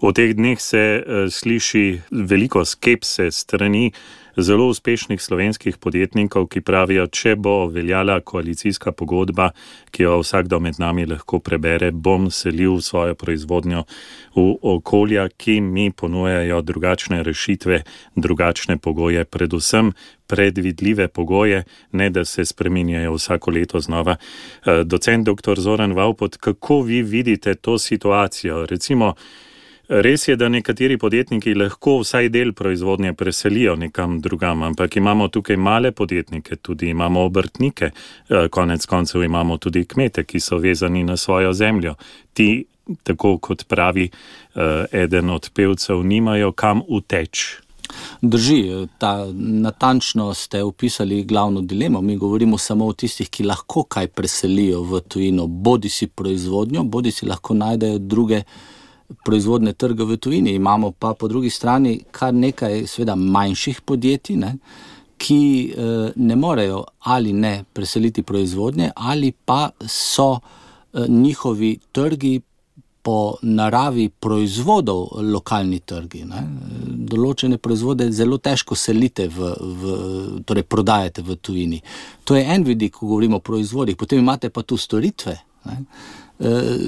V teh dneh se sliši veliko skepse strani zelo uspešnih slovenskih podjetnikov, ki pravijo, če bo veljala koalicijska pogodba, ki jo vsakdo med nami lahko prebere, bom selil svojo proizvodnjo v okolja, ki mi ponujajo drugačne rešitve, drugačne pogoje, predvsem predvidljive pogoje, ne da se spreminjajo vsako leto znova. Docent dr. Zoran Vavpot, kako vi vidite to situacijo? Recimo, res je, da nekateri podjetniki lahko vsaj del proizvodnje preselijo nekam drugam, ampak imamo tukaj male podjetnike, tudi imamo obrtnike, konec koncev imamo tudi kmete, ki so vezani na svojo zemljo. Ti, tako kot pravi eden od pevcev, nimajo kam uteči. Drži, natančno ste opisali glavno dilemo. Mi govorimo samo o tistih, ki lahko kaj preselijo v tujino, bodi si proizvodnjo, bodi si lahko najdejo druge proizvodne trge v tujini. Imamo pa po drugi strani kar nekaj seveda manjših podjetij, ki ne morejo ali ne preseliti proizvodnje, ali pa so njihovi trgi po naravi proizvodov lokalni trgi. Določene proizvode zelo težko selite torej prodajate v tujini. To je en vidik, ko govorimo o proizvodih. Potem imate pa tu storitve.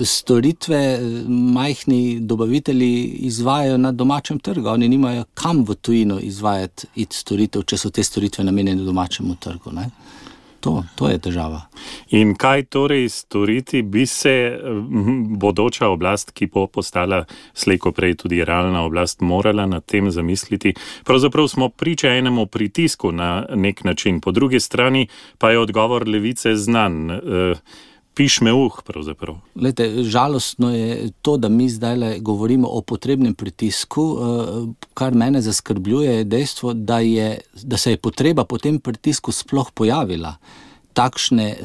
Storitve majhni dobavitelji izvajajo na domačem trgu. Oni nimajo kam v tujino izvajati storitev, če so te storitve namenjene domačemu trgu. To je težava. In kaj torej storiti bi se bodoča oblast, ki bo postala slej ko prej tudi realna oblast, morala nad tem zamisliti? Pravzaprav smo priča enemu pritisku na nek način. Po drugi strani pa je odgovor levice znan. Piš me pravzaprav. Glejte, žalostno je to, da mi zdaj govorimo o potrebnem pritisku. Kar mene zaskrbljuje, je dejstvo, da se je potreba po tem pritisku sploh pojavila. Takšne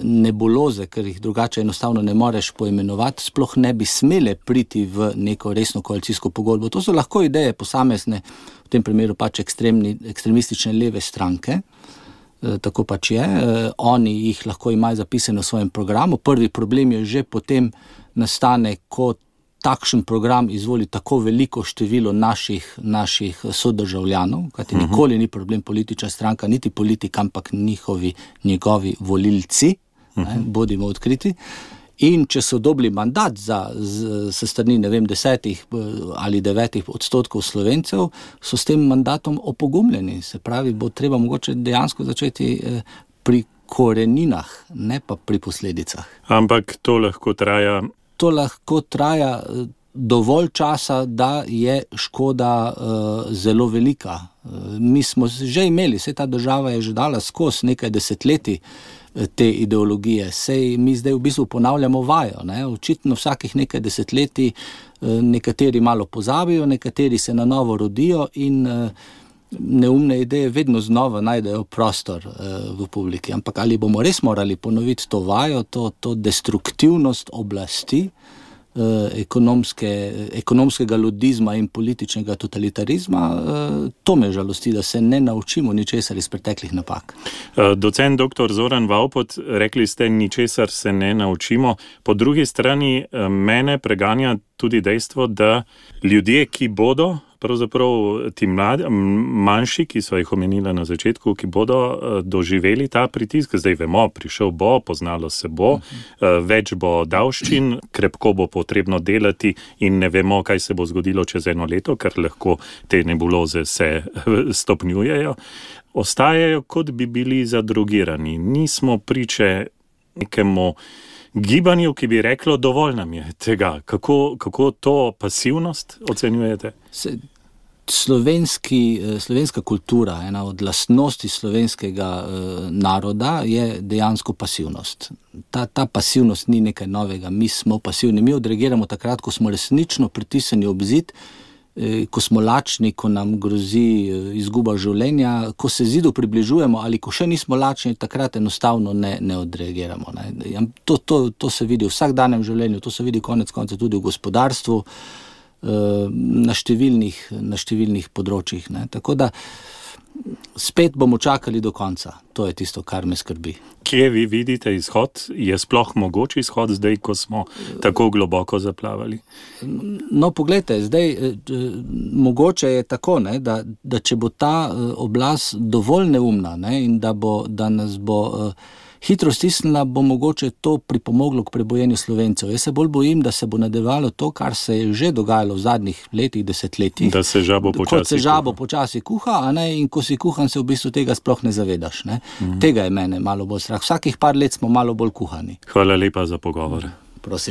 nebuloze, ker jih drugače enostavno ne moreš poimenovati, sploh ne bi smele priti v neko resno koalicijsko pogodbo. To so lahko ideje posamezne, v tem primeru pač ekstremistične leve stranke. Tako pač je. Oni jih lahko imajo zapisane v svojem programu. Prvi problem je že potem nastane, ko takšen program izvoli tako veliko število naših sodržavljanov, kajti nikoli ni problem politična stranka, niti politik, ampak njegovi volilci, bodimo odkriti. In če so dobili mandat s strani, 10 ali 9% Slovencev, so s tem mandatom opogumljeni. Se pravi, bo treba mogoče dejansko začeti pri koreninah, ne pa pri posledicah. Ampak to lahko traja? To lahko traja dovolj časa, da je škoda zelo velika. Mi smo že imeli, ta država je že dala skozi nekaj desetletij te ideologije. Sej mi zdaj v bistvu ponavljamo vajo. Očitno vsakih nekaj desetletij nekateri malo pozabijo, nekateri se na novo rodijo in neumne ideje vedno znova najdejo prostor v publiki. Ampak ali bomo res morali ponoviti to vajo, to destruktivnost oblasti, ekonomskega ludizma in političnega totalitarizma, to me žalosti, da se ne naučimo ničesar iz preteklih napak. Docent dr. Zoran Vavpot, rekli ste, ničesar se ne naučimo. Po drugi strani mene preganja tudi dejstvo, da ljudje, ki bodo, pravzaprav ti manjši, ki so jih omenila na začetku, ki bodo doživeli ta pritisk, zdaj vemo, prišel bo, poznalo se bo, več bo davščin, krepko bo potrebno delati in ne vemo, kaj se bo zgodilo čez 1 leto, ker lahko te nebuloze se stopnjujejo, ostajajo, kot bi bili zadrogirani. Nismo priče nekemu gibanju, ki bi reklo, dovolj nam je tega. Kako to pasivnost ocenjujete? Slovenska kultura, ena od lastnosti slovenskega naroda je dejansko pasivnost. Ta pasivnost ni nekaj novega. Mi smo pasivni. Mi odreagiramo takrat, ko smo resnično pritisnjeni ob zid, ko smo lačni, ko nam grozi izguba življenja, ko se zidu približujemo ali ko še nismo lačni, takrat enostavno ne odreagiramo. To se vidi v vsakdanjem življenju, to se vidi konec konca tudi v gospodarstvu, na številnih področjih. Tako da spet bomo čakali do konca. To je tisto, kar me skrbi. Kje vi vidite izhod? Je sploh mogoč izhod zdaj, ko smo tako globoko zaplavali? No, poglejte, zdaj mogoče je tako, ne, da če bo ta oblast dovolj neumna, ne, in da nas bo hitro stisnila, bo mogoče to pripomoglo k prebojenju Slovencev. Jaz se bolj bojim, da se bo nadaljevalo to, kar se je že dogajalo v zadnjih letih, desetletjih. Da se žabo počasi kot se žabo počasi kuha, a ne, in ko si kuhan, se v bistvu tega sploh ne zavedaš. Ne. Tega je mene malo bolj strah. Vsakih par let smo malo bolj kuhani. Hvala lepa za pogovor. Prosim.